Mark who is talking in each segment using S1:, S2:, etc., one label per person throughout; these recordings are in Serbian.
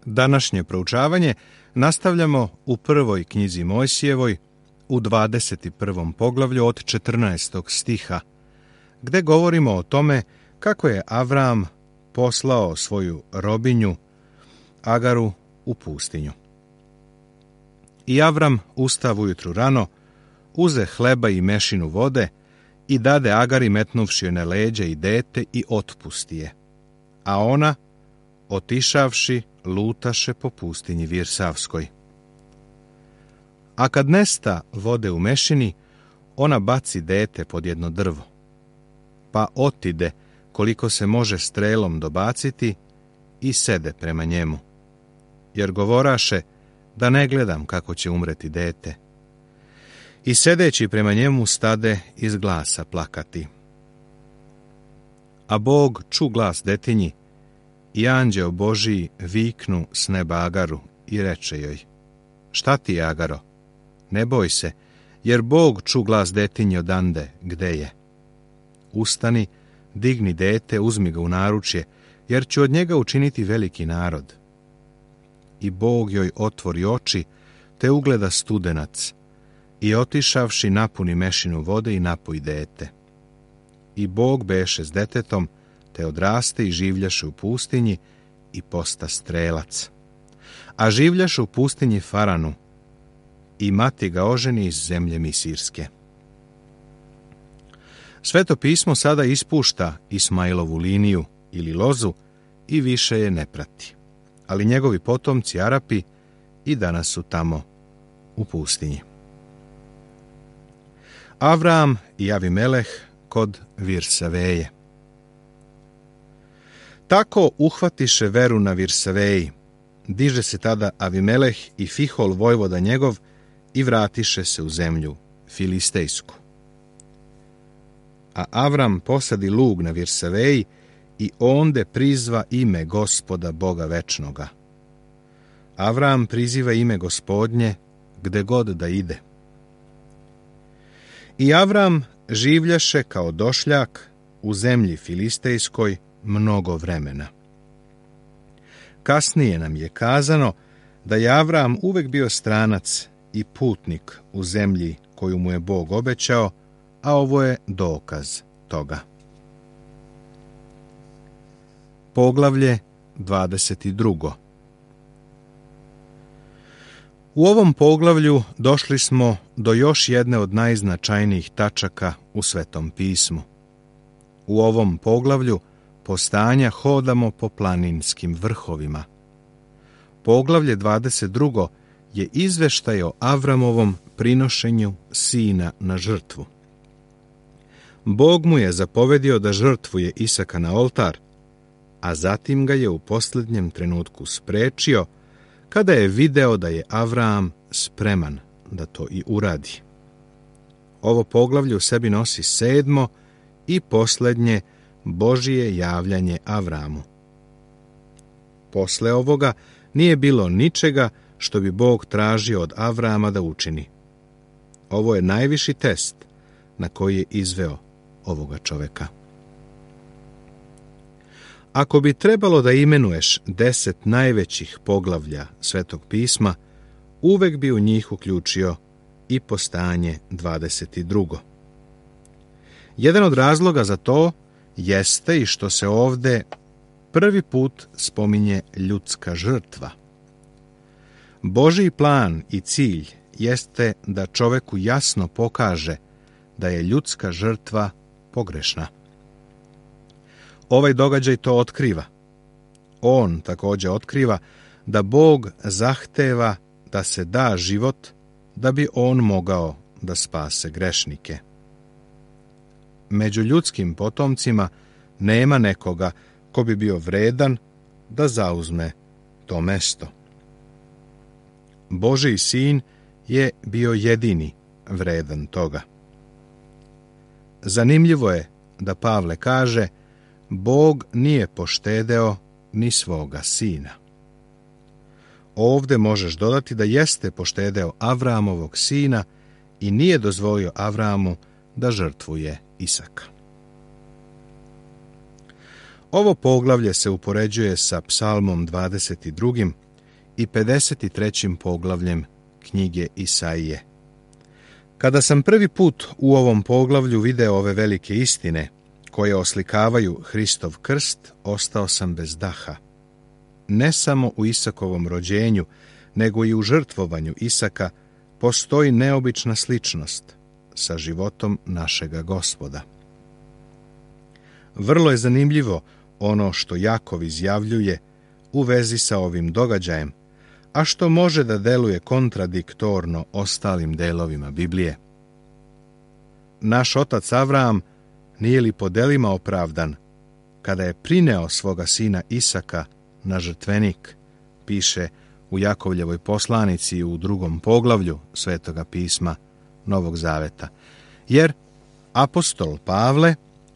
S1: Današnje proučavanje nastavljamo u prvoj knjizi Mojsijevoj, u 21. poglavlju od 14. stiha, gde govorimo o tome kako je Avram poslao svoju robinju Agaru u pustinju. I Avram ustav ujutru rano, uze hleba i mešinu vode i dade Agari metnuvši joj na leđa i dete i otpusti je. A ona, otišavši, lutaše po pustinji Virsavskoj. A kad nesta vode u mešini, ona baci dete pod jedno drvo, pa otide koliko se može strelom dobaciti i sede prema njemu, jer govoraše da ne gledam kako će umreti dete. I sedeći prema njemu stade iz glasa plakati. A Bog ču glas detinji i anđeo Božiji viknu s neba Agaru i reče joj: Šta ti, Agaro? Ne boj se, jer Bog ču glas detinji odande gde je. Ustani, digni dete, uzmi ga u naručje, jer ću od njega učiniti veliki narod. I Bog joj otvori oči, te ugleda studenac, i otišavši napuni mešinu vode i napoji dete. I Bog beše s detetom, te odraste i življaše u pustinji i posta strelac. A življaše u pustinji Faranu i mati ga oženi iz zemlje Misirske. Sveto pismo sada ispušta Ismailovu liniju ili lozu i više je ne prati. Ali njegovi potomci Arapi i danas su tamo u pustinji. Avram i Avimeleh kod Virsaveje. Tako uhvatiše veru na Virsaveji. Diže se tada Avimeleh i Fihol vojvoda njegov i vratiše se u zemlju Filistejsku. A Avram posadi lug na Virsaveji i onde prizva ime Gospoda Boga večnoga. Avram priziva ime Gospodnje gde god da ide. I Avram življaše kao došljak u zemlji Filistejskoj mnogo vremena. Kasnije nam je kazano da je Avram uvek bio stranac i putnik u zemlji koju mu je Bog obećao, a ovo je dokaz toga. Poglavlje 22. U ovom poglavlju došli smo do još jedne od najznačajnijih tačaka u Svetom pismu. U ovom poglavlju postanja hodamo po planinskim vrhovima. Poglavlje 22. je izveštaj o Avramovom prinošenju sina na žrtvu. Bog mu je zapovedio da žrtvuje Isaka na oltar, a zatim ga je u posljednjem trenutku sprečio kada je video da je Avram spreman da to i uradi. Ovo poglavlje u sebi nosi 7. i posljednje Božije javljanje Avramu. Posle ovoga nije bilo ničega što bi Bog tražio od Avrama da učini. Ovo je najviši test na koji je izveo ovoga čoveka. Ako bi trebalo da imenuješ 10 najvećih poglavlja Svetog pisma, uvek bi u njih uključio i postanje 22. Jedan od razloga za to jeste i što se ovde prvi put spominje ljudska žrtva. Božji plan i cilj jeste da čoveku jasno pokaže da je ljudska žrtva pogrešna. Ovaj događaj to otkriva. On također otkriva da Bog zahteva da se da život da bi on mogao da spase grešnike. Među ljudskim potomcima nema nekoga ko bi bio vredan da zauzme to mesto. Božji sin je bio jedini vredan toga. Zanimljivo je da Pavle kaže: Bog nije poštedeo ni svoga sina. Ovde možeš dodati da jeste poštedeo Avramovog sina i nije dozvolio Avramu da žrtvuje Isaka. Ovo poglavlje se upoređuje sa Psalmom 22. i 53. poglavljem knjige Isaije. Kada sam prvi put u ovom poglavlju video ove velike istine koje oslikavaju Hristov krst, ostao sam bez daha. Ne samo u Isakovom rođenju, nego i u žrtvovanju Isaka postoji neobična sličnost sa životom našega Gospoda. Vrlo je zanimljivo ono što Jakov izjavljuje u vezi sa ovim događajem, a što može da deluje kontradiktorno ostalim delovima Biblije. Naš otac Avram nije li po delima opravdan kada je prineo svoga sina Isaka na žrtvenik, piše u Jakovljevoj poslanici u 2. poglavlju Svetoga pisma Novog Zaveta, jer apostol Pavle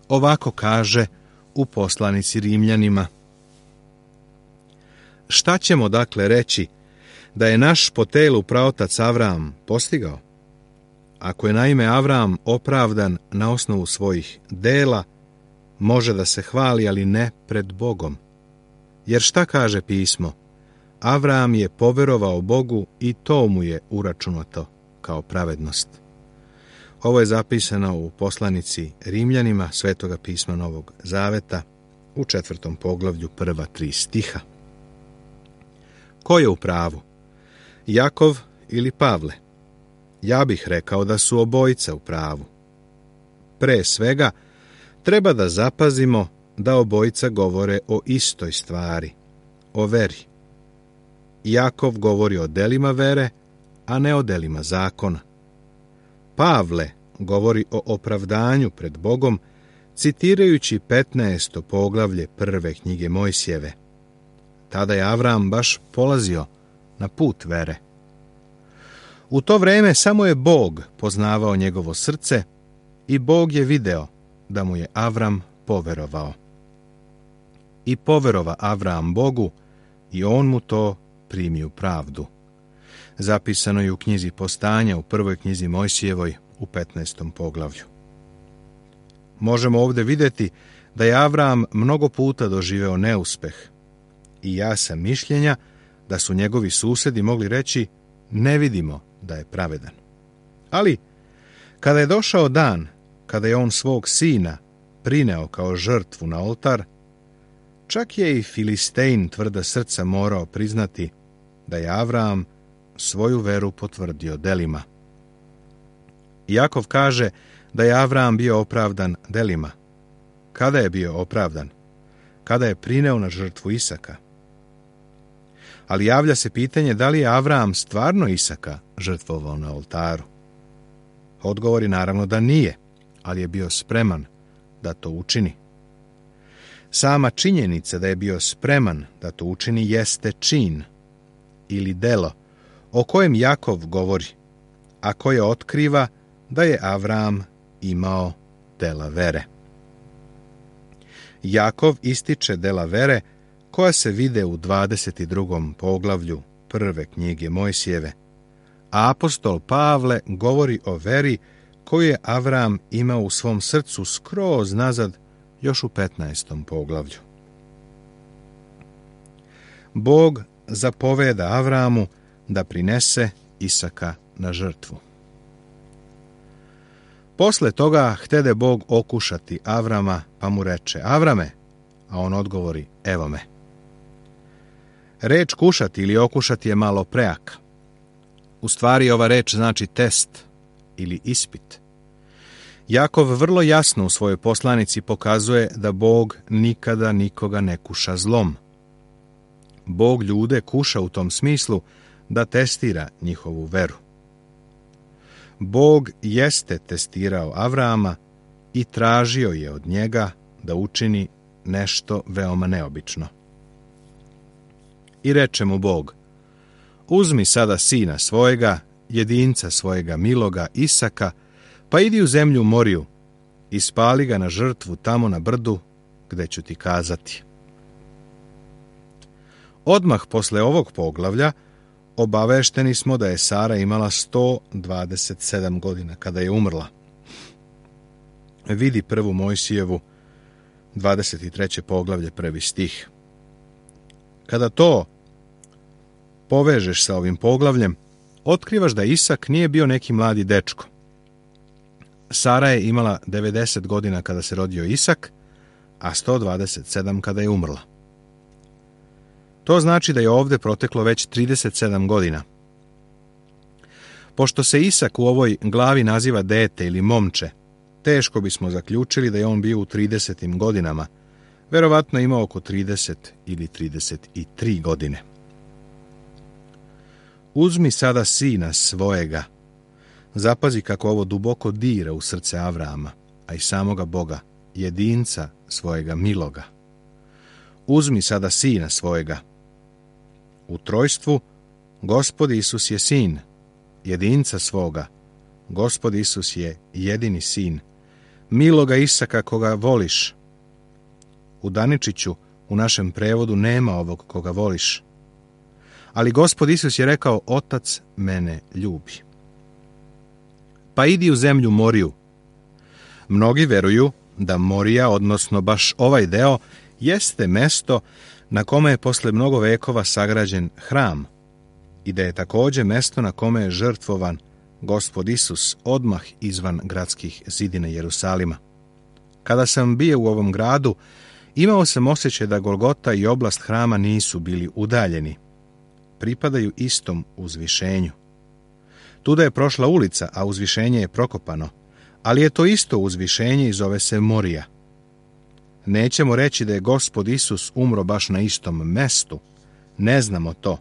S1: ovako kaže u poslanici Rimljanima: šta ćemo dakle reći da je naš po telu praotac Avram postigao? Ako je naime Avram opravdan na osnovu svojih dela, može da se hvali, ali ne pred Bogom. Jer šta kaže pismo? Avram je poverovao Bogu i to mu je uračunato kao pravednost. Ovo je zapisano u poslanici Rimljanima Svetoga pisma Novog Zaveta u 4. poglavlju prva 3 stiha. Ko je u pravu? Jakov ili Pavle? Ja bih rekao da su obojica u pravu. Pre svega, treba da zapazimo da obojica govore o istoj stvari, o veri. Jakov govori o delima vere, a ne o delima zakona. Pavle govori o opravdanju pred Bogom, citirajući 15. poglavlje prve knjige Mojsijeve. Tada je Avram baš polazio na put vere. U to vreme samo je Bog poznavao njegovo srce i Bog je video da mu je Avram poverovao. I poverova Avram Bogu i on mu to primi u pravdu. Zapisano je u knjizi Postanja u prvoj knjizi Mojsijevoj u 15. poglavlju. Možemo ovdje vidjeti da je Avram mnogo puta doživeo neuspeh i ja sam mišljenja da su njegovi susedi mogli reći: ne vidimo da je pravedan. Ali, kada je došao dan, kada je on svog sina prineo kao žrtvu na oltar, čak je i Filistein tvrda srca morao priznati da je Avram svoju veru potvrdio delima. Jakov kaže da je Avram bio opravdan delima. Kada je bio opravdan? Kada je prineo na žrtvu Isaka. Ali javlja se pitanje da li je Avram stvarno Isaka žrtvovao na oltaru. Odgovor je naravno da nije, ali je bio spreman da to učini. Sama činjenica da je bio spreman da to učini jeste čin ili delo o kojem Jakov govori, a koje otkriva da je Avram imao dela vere. Jakov ističe dela vere koja se vide u 22. poglavlju prve knjige Mojsijeve, a apostol Pavle govori o veri koju je Avram imao u svom srcu skroz nazad još u 15. poglavlju. Bog zapoveda Avramu da prinese Isaka na žrtvu. Posle toga htede Bog okušati Avrama, pa mu reče: Avrame, a on odgovori: evo me. Reč kušati ili okušati je malo preaka. U stvari ova reč znači test ili ispit. Jakov vrlo jasno u svojoj poslanici pokazuje da Bog nikada nikoga ne kuša zlom. Bog ljude kuša u tom smislu da testira njihovu veru. Bog jeste testirao Avrama i tražio je od njega da učini nešto veoma neobično. I reče mu Bog: uzmi sada sina svojega, jedinca svojega miloga Isaka, pa idi u zemlju Moriju i spali ga na žrtvu tamo na brdu gde ću ti kazati. Odmah posle ovog poglavlja obavešteni smo da je Sara imala 127 godina kada je umrla. Vidi prvu Mojsijevu 23. poglavlje 1. stih. Kada to povežeš sa ovim poglavljem, otkrivaš da Isak nije bio neki mladi dečko. Sara je imala 90 godina kada se rodio Isak, a 127 kada je umrla. To znači da je ovdje proteklo već 37 godina. Pošto se Isak u ovoj glavi naziva dete ili momče, teško bismo zaključili da je on bio u 30. godinama, verovatno imao oko 30 ili 33 godine. Uzmi sada sina svojega. Zapazi kako ovo duboko dira u srce Avrama, a i samoga Boga, jedinca svojega miloga. Uzmi sada sina svojega. U trojstvu Gospod Isus je sin, jedinca svoga. Gospod Isus je jedini sin, miloga Isaka koga voliš. U Daničiću u našem prevodu nema ovog koga voliš. Ali Gospod Isus je rekao, Otac mene ljubi. Pa idi u zemlju Moriju. Mnogi veruju da Morija, odnosno baš ovaj deo, jeste mesto na kome je posle mnogo vekova sagrađen hram i da je također mesto na kome je žrtvovan Gospod Isus odmah izvan gradskih zidina Jerusalima. Kada sam bio u ovom gradu, imao sam osjećaj da Golgota i oblast hrama nisu bili udaljeni. Pripadaju istom uzvišenju. Tuda je prošla ulica, a uzvišenje je prokopano, ali je to isto uzvišenje i zove se Morija. Nećemo reći da je Gospod Isus umro baš na istom mestu, ne znamo to,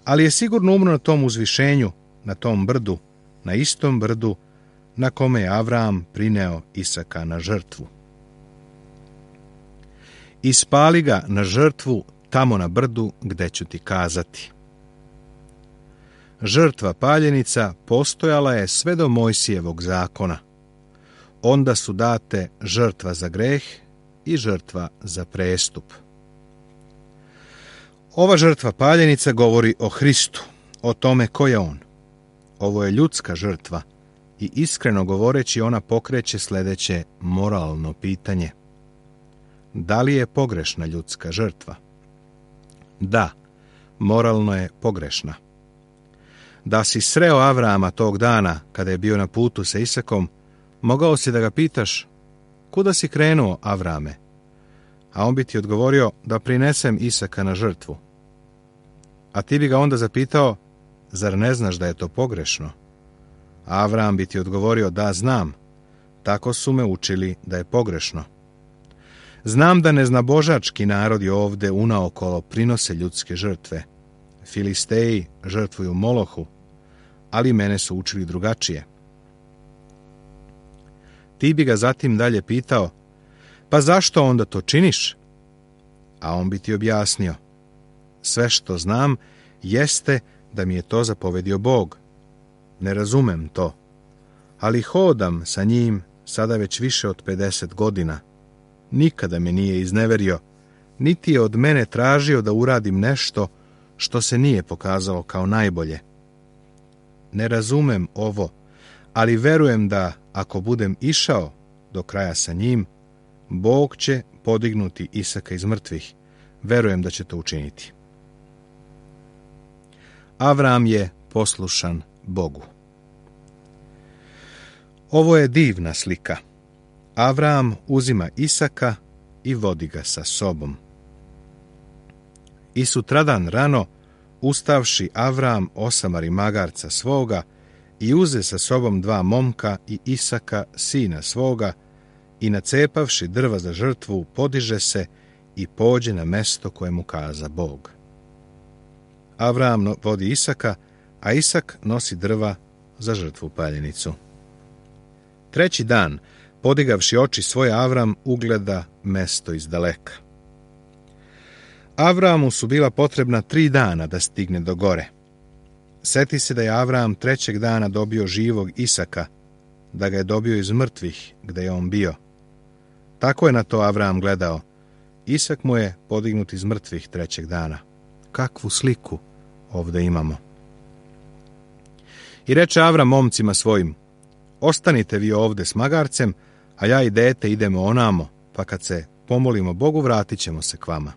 S1: ali je sigurno umro na tom uzvišenju, na tom brdu, na istom brdu na kome je Avram prineo Isaka na žrtvu. Ispali ga na žrtvu tamo na brdu gde ću ti kazati. Žrtva paljenica postojala je sve do Mojsijevog zakona. Onda su date žrtva za greh i žrtva za prestup. Ova žrtva paljenica govori o Hristu, o tome ko je on. Ovo je ljudska žrtva i iskreno govoreći ona pokreće sljedeće moralno pitanje. Da li je pogrešna ljudska žrtva? Da, moralno je pogrešna. Da si sreo Avrama tog dana, kada je bio na putu sa Isakom, mogao si da ga pitaš, kuda si krenuo, Avrame? A on bi ti odgovorio da prinesem Isaka na žrtvu. A ti bi ga onda zapitao, zar ne znaš da je to pogrešno? A Avram bi ti odgovorio, da znam, tako su me učili da je pogrešno. Znam da neznabožački narodi ovde unaokolo prinose ljudske žrtve. Filisteji žrtvuju Molohu, ali mene su učili drugačije. Ti bi ga zatim dalje pitao, pa zašto onda to činiš? A on bi ti objasnio, sve što znam jeste da mi je to zapovedio Bog. Ne razumem to, ali hodam sa njim sada već više od 50 godina. Nikada me nije izneverio, niti je od mene tražio da uradim nešto što se nije pokazalo kao najbolje. Ne razumem ovo, ali verujem da ako budem išao do kraja sa njim, Bog će podignuti Isaka iz mrtvih. Verujem da će to učiniti. Avram je poslušan Bogu. Ovo je divna slika. Avram uzima Isaka i vodi ga sa sobom. I sutradan rano, ustavši Avram osamari magarca svoga i uze sa sobom 2 momka i Isaka, sina svoga, i nacepavši drva za žrtvu, podiže se i pođe na mesto koje mu kaza Bog. Avram vodi Isaka, a Isak nosi drva za žrtvu paljenicu. 3. dan, podigavši oči svoje, Avram ugleda mesto iz daleka. Avramu su bila potrebna 3 dana da stigne do gore. Seti se da je Avram 3. dana dobio živog Isaka, da ga je dobio iz mrtvih gde je on bio. Tako je na to Avram gledao. Isak mu je podignut iz mrtvih 3. dana. Kakvu sliku ovde imamo. I reče Avram momcima svojim, ostanite vi ovde s magarcem, a ja i dete idemo onamo, pa kad se pomolimo Bogu vratit ćemo se k vama.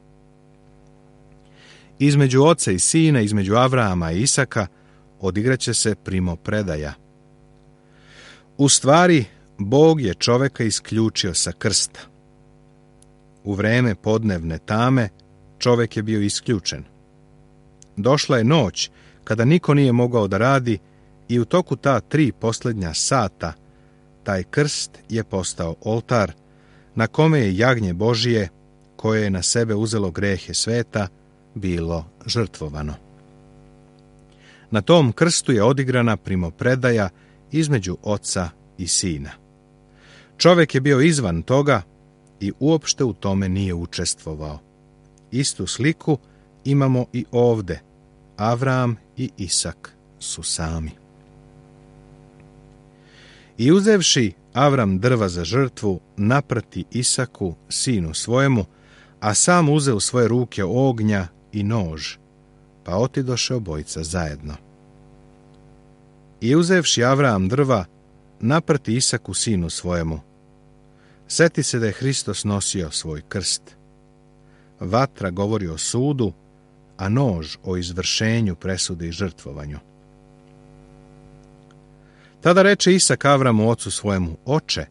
S1: Između oca i sina, između Avrahama i Isaka, odigraće se primopredaja. U stvari, Bog je čoveka isključio sa krsta. U vreme podnevne tame čovek je bio isključen. Došla je noć kada niko nije mogao da radi i u toku ta 3 posljednja sata taj krst je postao oltar na kome je jagnje Božije, koje je na sebe uzelo grehe sveta, bilo žrtvovano. Na tom krstu je odigrana primopredaja između oca i sina. Čovek je bio izvan toga i uopšte u tome nije učestvovao. Istu sliku imamo i ovde. Avraham i Isak su sami. I uzevši Avram drva za žrtvu, naprati Isaku, sinu svojemu, a sam uze u svoje ruke ognja i nož, pa otidoše obojica zajedno. I uzevši Avraham drva, naprati Isaku, sinu svojemu. Seti se da je Hristos nosio svoj krst. Vatra govori o sudu, a nož o izvršenju presude i žrtvovanju. Tada reče Isak Avramu, ocu svojemu: Oče,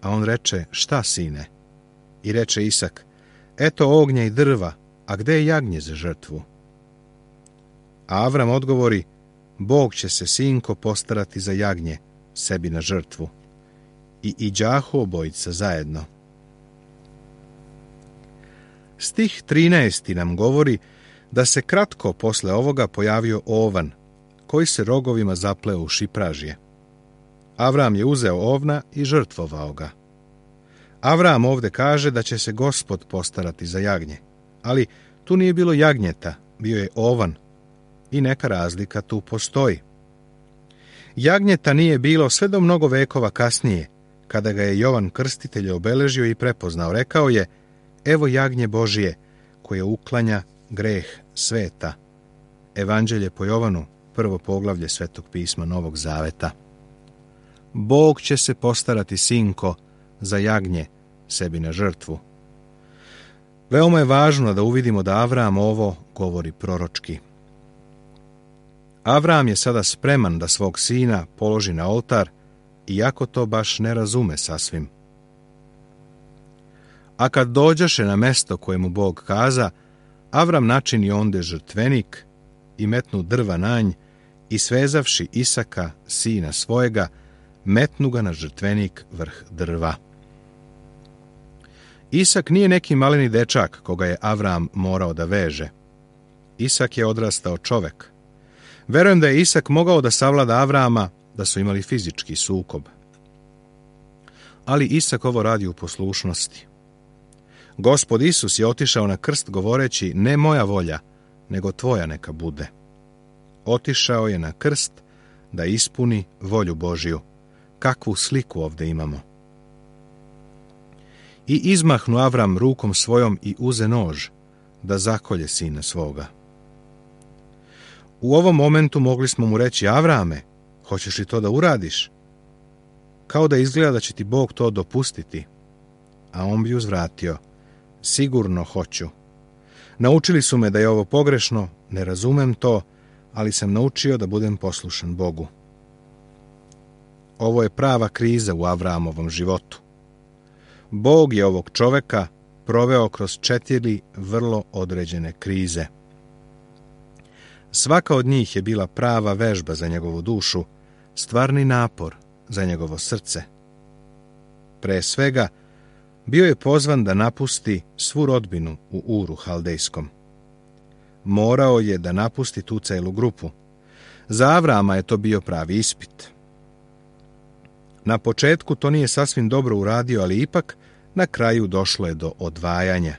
S1: a on reče: Šta, sine? I reče Isak: Eto ognja i drva, a gde je jagnje za žrtvu? A Avram odgovori: Bog će se, sinko, postarati za jagnje sebi na žrtvu. I iđahu obojica zajedno. Stih 13. nam govori da se kratko posle ovoga pojavio ovan, koji se rogovima zapleo u šipražje. Avram je uzeo ovna i žrtvovao ga. Avram ovde kaže da će se Gospod postarati za jagnje, ali tu nije bilo jagnjeta, bio je ovan i neka razlika tu postoji. Jagnjeta nije bilo sve do mnogo vekova kasnije, kada ga je Jovan Krstitelj obeležio i prepoznao. Rekao je: Evo jagnje Božije, koje uklanja greh sveta. Evanđelje po Jovanu, 1. poglavlje Svetog pisma Novog Zaveta. Bog će se postarati, sinko, za jagnje sebi na žrtvu. Veoma je važno da uvidimo da Avraham ovo govori proročki. Avraham je sada spreman da svog sina položi na oltar, iako to baš ne razume sasvim. A kad dođaše na mesto koje mu Bog kaza, Avram načini onde žrtvenik i metnu drva na nj i svezavši Isaka, sina svojega, metnu ga na žrtvenik vrh drva. Isak nije neki maleni dečak koga je Avram morao da veže. Isak je odrastao čovek. Verujem da je Isak mogao da savlada Avrama da su imali fizički sukob. Ali Isak ovo radi u poslušnosti. Gospod Isus je otišao na krst govoreći: Ne moja volja, nego tvoja neka bude. Otišao je na krst da ispuni volju Božju. Kakvu sliku ovde imamo. I izmahnu Avram rukom svojom i uze nož da zakolje sina svoga. U ovom momentu mogli smo mu reći: Avrame, hoćeš li to da uradiš? Kao da izgleda da će ti Bog to dopustiti. A on bi uzvratio: Sigurno hoću. Naučili su me da je ovo pogrešno, ne razumem to, ali sam naučio da budem poslušan Bogu. Ovo je prava kriza u Avramovom životu. Bog je ovog čoveka proveo kroz 4 vrlo određene krize. Svaka od njih je bila prava vežba za njegovu dušu, stvarni napor za njegovo srce. Pre svega, bio je pozvan da napusti svu rodbinu u Uru Haldejskom. Morao je da napusti tu celu grupu. Za Avrama je to bio pravi ispit. Na početku to nije sasvim dobro uradio, ali ipak na kraju došlo je do odvajanja.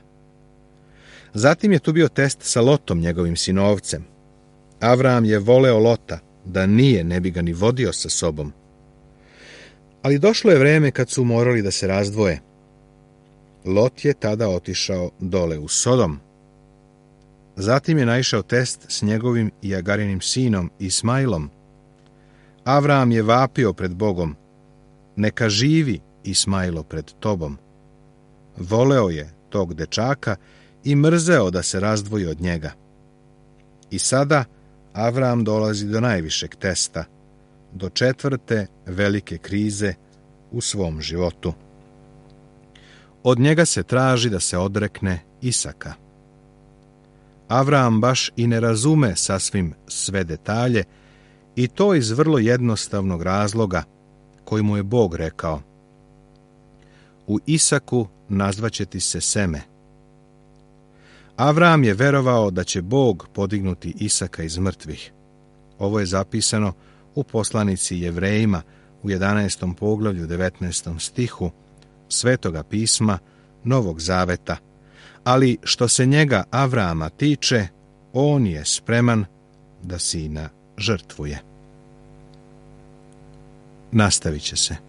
S1: Zatim je tu bio test sa Lotom, njegovim sinovcem. Avram je voleo Lota, da nije, ne bi ga ni vodio sa sobom. Ali došlo je vreme kad su morali da se razdvoje. Lot je tada otišao dole u Sodom. Zatim je naišao test s njegovim i Agarinim sinom Ismailom. Avram je vapio pred Bogom: Neka živi Ismailo pred tobom. Voleo je tog dečaka i mrzeo da se razdvoji od njega. I sada Avram dolazi do najvišeg testa, do 4. velike krize u svom životu. Od njega se traži da se odrekne Isaka. Avram baš i ne razume sasvim sve detalje, i to iz vrlo jednostavnog razloga koji mu je Bog rekao: u Isaku nazvaće ti se seme. Avram je verovao da će Bog podignuti Isaka iz mrtvih. Ovo je zapisano u poslanici Jevrejima u 11. poglavlju 19. stihu Svetoga pisma Novog Zaveta, ali što se njega Avrama tiče, on je spreman da sina žrtvuje. Nastavit će se.